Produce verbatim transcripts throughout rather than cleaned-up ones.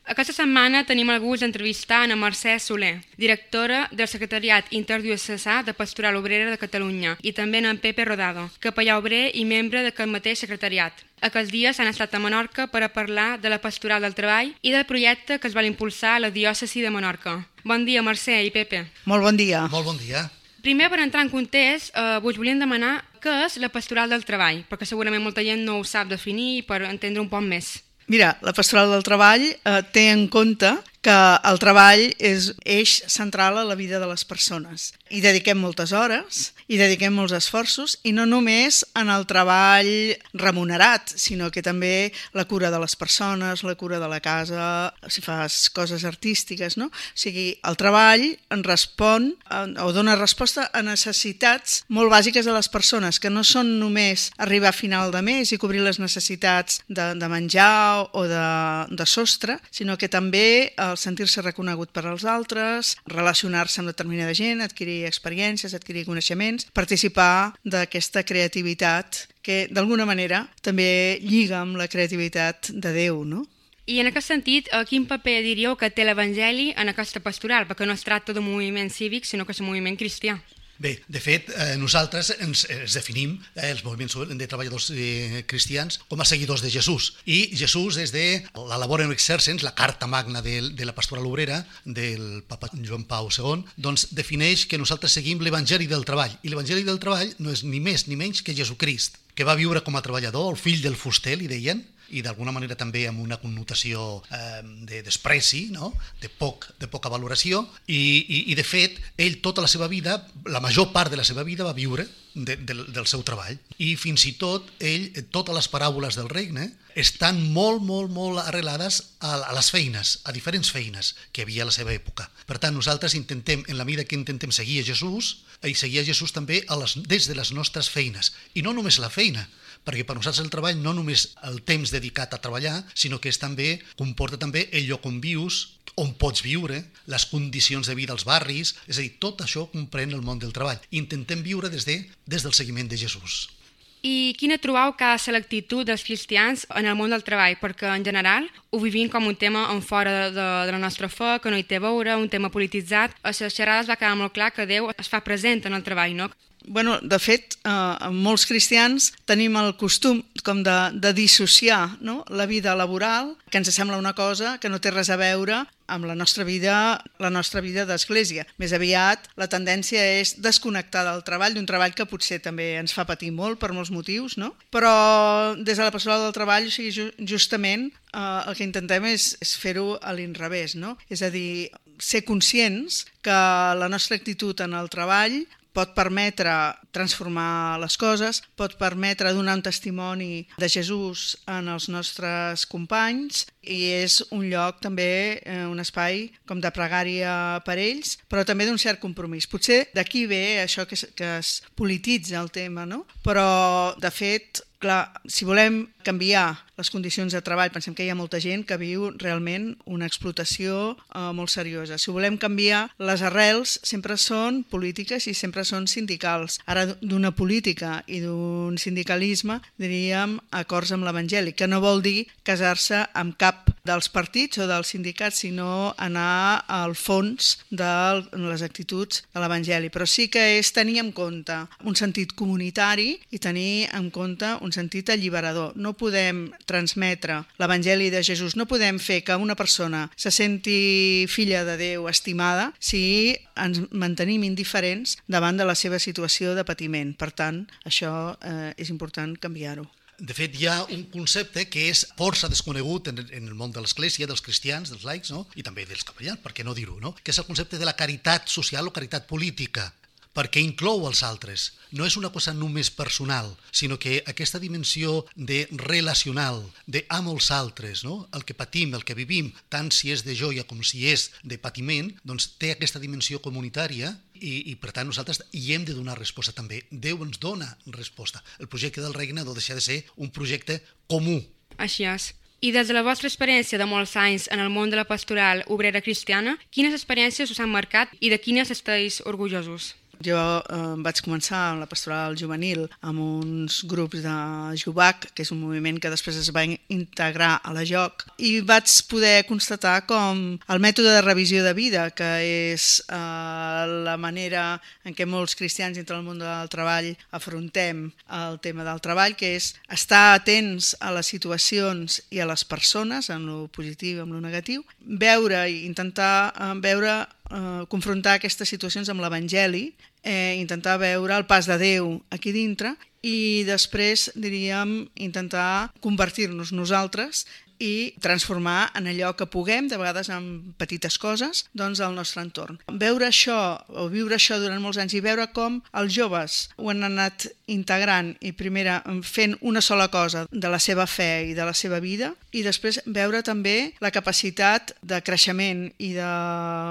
Aquesta setmana tenim el gust d'entrevistar a Mercè Soler, directora del Secretariat Interdiocesà de Pastoral Obrera de Catalunya, i també en Pepe Rodado, capellà obrer i membre d'aquest mateix secretariat. Aquests dies han estat a Menorca per a parlar de la pastoral del treball i del projecte que es vol impulsar a la diòcesi de Menorca. Bon dia, Mercè i Pepe. Molt bon dia. Molt bon dia. Primer, per entrar en context, eh, us volíem demanar què és la pastoral del treball, perquè segurament molta gent no ho sap definir per entendre un poc més. Mira, la pastoral del treball eh, té en compte que el treball és eix central a la vida de les persones. Hi dediquem moltes hores, hi dediquem molts esforços, i no només en el treball remunerat, sinó que també la cura de les persones, la cura de la casa, si fas coses artístiques, no? O sigui, el treball en respon o dona resposta a necessitats molt bàsiques de les persones, que no són només arribar a final de mes i cobrir les necessitats de, de menjar o de, de sostre, sinó que també el sentir-se reconegut per als altres, relacionar-se amb determinada gent, adquirir experiències, adquirir coneixements, participar d'aquesta creativitat que d'alguna manera també lliga amb la creativitat de Déu, no? I en aquest sentit, quin paper diríeu que té l'Evangeli en aquesta pastoral? Perquè no es tracta d'un moviment cívic, sinó que és un moviment cristià. Bé, de fet, eh, nosaltres ens, ens definim, eh, els moviments de treballadors eh, cristians, com a seguidors de Jesús. I Jesús, des de la Laborem Exercens, la carta magna de, de la pastoral obrera, del papa Joan Pau segon, doncs defineix que nosaltres seguim l'Evangeli del treball. I l'Evangeli del treball no és ni més ni menys que Jesucrist, que va viure com a treballador, el fill del fuster, li deien, i d'alguna manera també amb una connotació eh, de despreci, no? de, poc, de poca valoració, i, i, i de fet ell tota la seva vida, la major part de la seva vida va viure de, de, del seu treball, i fins i tot ell, totes les paràboles del regne estan molt, molt, molt arrelades a, a les feines, a diferents feines que hi havia a la seva època. Per tant, nosaltres intentem, en la mida que intentem seguir a Jesús, i seguir a Jesús també a les, des de les nostres feines, i no només la feina, perquè per nosaltres el treball no només el temps dedicat a treballar, sinó que és també, comporta també el lloc on vius, on pots viure, les condicions de vida als barris, és a dir, tot això comprèn el món del treball. Intentem viure des, de, des del seguiment de Jesús. I quina trobau que ha de ser l'actitud dels cristians en el món del treball? Perquè en general ho vivim com un tema en fora de, de, de la nostra fe, que no hi té a veure, un tema polititzat. A les xerrades va quedar molt clar que Déu es fa present en el treball, no? Bueno, de fet, eh, molts cristians tenim el costum com de, de dissociar, no? La vida laboral, que ens sembla una cosa que no té res a veure amb la nostra vida, la nostra vida d'església. Més aviat, la tendència és desconnectar del treball, d'un treball que potser també ens fa patir molt per molts motius, no? Però des de la pastoral del treball, o sigui, justament eh, el que intentem és, és fer-ho a l'inrevés, no? És a dir, ser conscients que la nostra actitud en el treball pot permetre transformar les coses, pot permetre donar un testimoni de Jesús en els nostres companys, i és un lloc també, eh, un espai com de pregària per ells, però també d'un cert compromís. Potser d'aquí ve això que es, que es polititza el tema, no? Però, de fet, clar, si volem canviar les condicions de treball, pensem que hi ha molta gent que viu realment una explotació eh, molt seriosa. Si volem canviar, les arrels sempre són polítiques i sempre són sindicals. Ara, d'una política i d'un sindicalisme, diríem acords amb l'Evangeli, que no vol dir casar-se amb cap dels partits o dels sindicats, sinó anar al fons de les actituds de l'Evangeli. Però sí que és tenir en compte un sentit comunitari i tenir en compte un sentit alliberador. No podem transmetre l'Evangeli de Jesús, no podem fer que una persona se senti filla de Déu, estimada, si ens mantenim indiferents davant de la seva situació de patiment. Per tant, això eh, és important canviar-ho. De fet, hi ha un concepte que és força desconegut en el món de l'Església, dels cristians, dels laics, no? I també dels capellans, per què no dir-ho, no? Que és el concepte de la caritat social o caritat política, perquè inclou els altres. No és una cosa només personal, sinó que aquesta dimensió de relacional, de amb els altres, no? El que patim, el que vivim, tant si és de joia com si és de patiment, doncs té aquesta dimensió comunitària i, i per tant nosaltres hi hem de donar resposta també. Déu ens dona resposta. El projecte del regne no deixa de ser un projecte comú. Així és. I des de la vostra experiència de molts anys en el món de la pastoral obrera cristiana, quines experiències us han marcat i de quines esteu orgullosos? Jo eh, vaig començar amb la pastoral juvenil amb uns grups de Jubac, que és un moviment que després es va integrar a la J O C, i vaig poder constatar com el mètode de revisió de vida, que és eh, la manera en què molts cristians dintre del món del treball afrontem el tema del treball, que és estar atents a les situacions i a les persones, en lo positiu i en lo negatiu, veure i intentar eh, veure, eh, confrontar aquestes situacions amb l'Evangeli, eh, intentar veure el pas de Déu aquí dintre i després, diríem, intentar convertir-nos nosaltres i transformar en allò que puguem, de vegades en petites coses, doncs el nostre entorn. Veure això, o viure això durant molts anys i veure com els joves ho han anat integrant i primera fent una sola cosa de la seva fe i de la seva vida, i després veure també la capacitat de creixement i de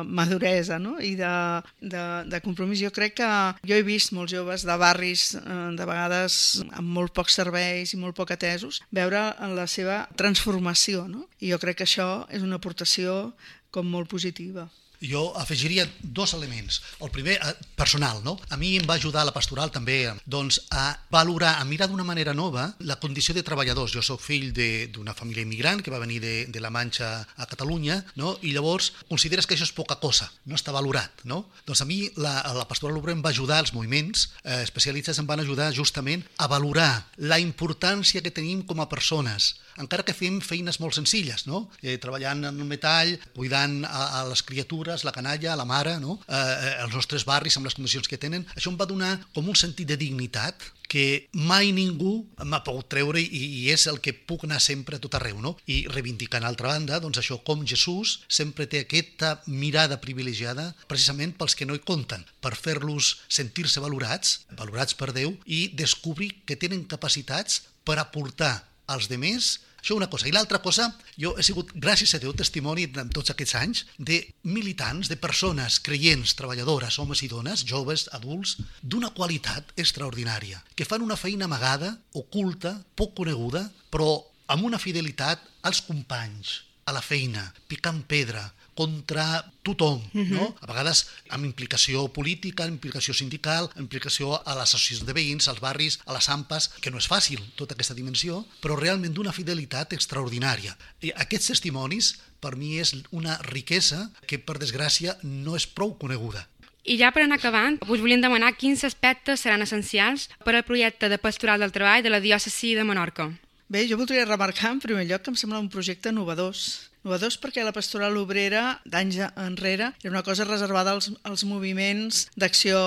maduresa, no? I de, de, de compromís. Jo crec que jo he vist molts joves de barris, de vegades amb molt pocs serveis i molt poc atesos, veure la seva transformació. No? I jo crec que això és una aportació com molt positiva. Jo afegiria dos elements. El primer, personal, no? A mi em va ajudar la pastoral també doncs, a valorar, a mirar d'una manera nova la condició de treballadors. Jo soc fill d'una família immigrant que va venir de, de la Manxa a Catalunya, no? I llavors consideres que això és poca cosa, no està valorat, no? Doncs a mi la, la pastoral obrera em va ajudar, els moviments eh, especialitzats em van ajudar justament a valorar la importància que tenim com a persones, encara que fem feines molt senzilles, no? Eh, treballant en el metall, cuidant a, a les criatures, la canalla, la mare, no? eh, els nostres barris amb les condicions que tenen. Això em va donar com un sentit de dignitat que mai ningú m'ha pogut treure i, i és el que puc anar sempre a tot arreu, no? I reivindicant, a altra banda, doncs això, com Jesús sempre té aquesta mirada privilegiada precisament pels que no hi compten, per fer-los sentir-se valorats, valorats per Déu, i descobrir que tenen capacitats per aportar als demés. Això una cosa. I l'altra cosa, jo he sigut, gràcies a Déu, testimoni en tots aquests anys de militants, de persones creients, treballadores, homes i dones, joves, adults, d'una qualitat extraordinària, que fan una feina amagada, oculta, poc coneguda, però amb una fidelitat als companys, a la feina, picant pedra, contra tothom, uh-huh. no? A vegades amb implicació política, amb implicació sindical, amb implicació a les associacions de veïns, als barris, a les AMPAs, que no és fàcil tota aquesta dimensió, però realment d'una fidelitat extraordinària. I aquests testimonis, per mi, és una riquesa que, per desgràcia, no és prou coneguda. I ja per anar acabant, us volíem demanar quins aspectes seran essencials per al projecte de pastoral del treball de la diòcesi de Menorca. Bé, jo voldria remarcar en primer lloc que em sembla un projecte novedós. Novedós perquè la pastoral obrera d'anys enrere era una cosa reservada als, als moviments d'acció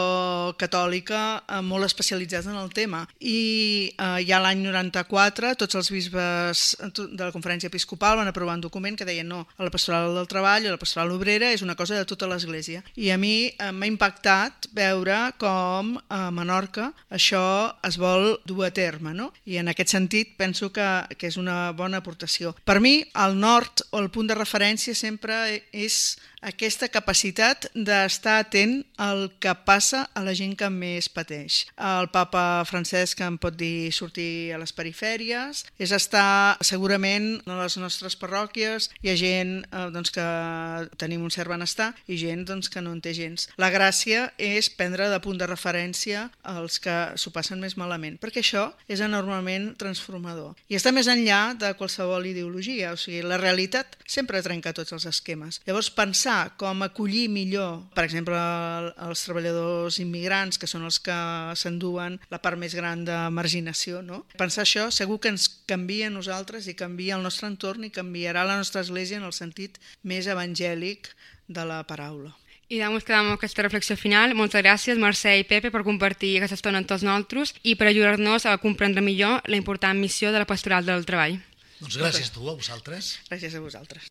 catòlica eh, molt especialitzats en el tema. I eh, ja l'any noranta-quatre tots els bisbes de la conferència episcopal van aprovar un document que deien no, a la pastoral del treball, a la pastoral obrera és una cosa de tota l'Església. I a mi eh, m'ha impactat veure com a Menorca això es vol dur a terme, no? I en aquest sentit penso que, que és una bona aportació. Per mi, al nord o el punt de referència sempre és aquesta capacitat d'estar atent al que passa a la gent que més pateix. El papa Francesc em pot dir sortir a les perifèries, és estar segurament a les nostres parròquies, hi ha gent eh, doncs, que tenim un cert benestar i gent doncs, que no en té gens. La gràcia és prendre de punt de referència els que s'ho passen més malament, perquè això és enormement transformador. I està més enllà de qualsevol ideologia, o sigui, la realitat sempre trenca tots els esquemes. Llavors, pensar com acollir millor, per exemple, els treballadors immigrants, que són els que s'enduen la part més gran de marginació, no? Pensar això segur que ens canvia a nosaltres i canvia el nostre entorn i canviarà la nostra església en el sentit més evangèlic de la paraula. I doncs quedem amb aquesta reflexió final. Moltes gràcies, Mercè i Pepe, per compartir aquesta estona amb tots nosaltres i per ajudar-nos a comprendre millor la important missió de la pastoral del treball. Doncs gràcies a tu, a vosaltres. Gràcies a vosaltres.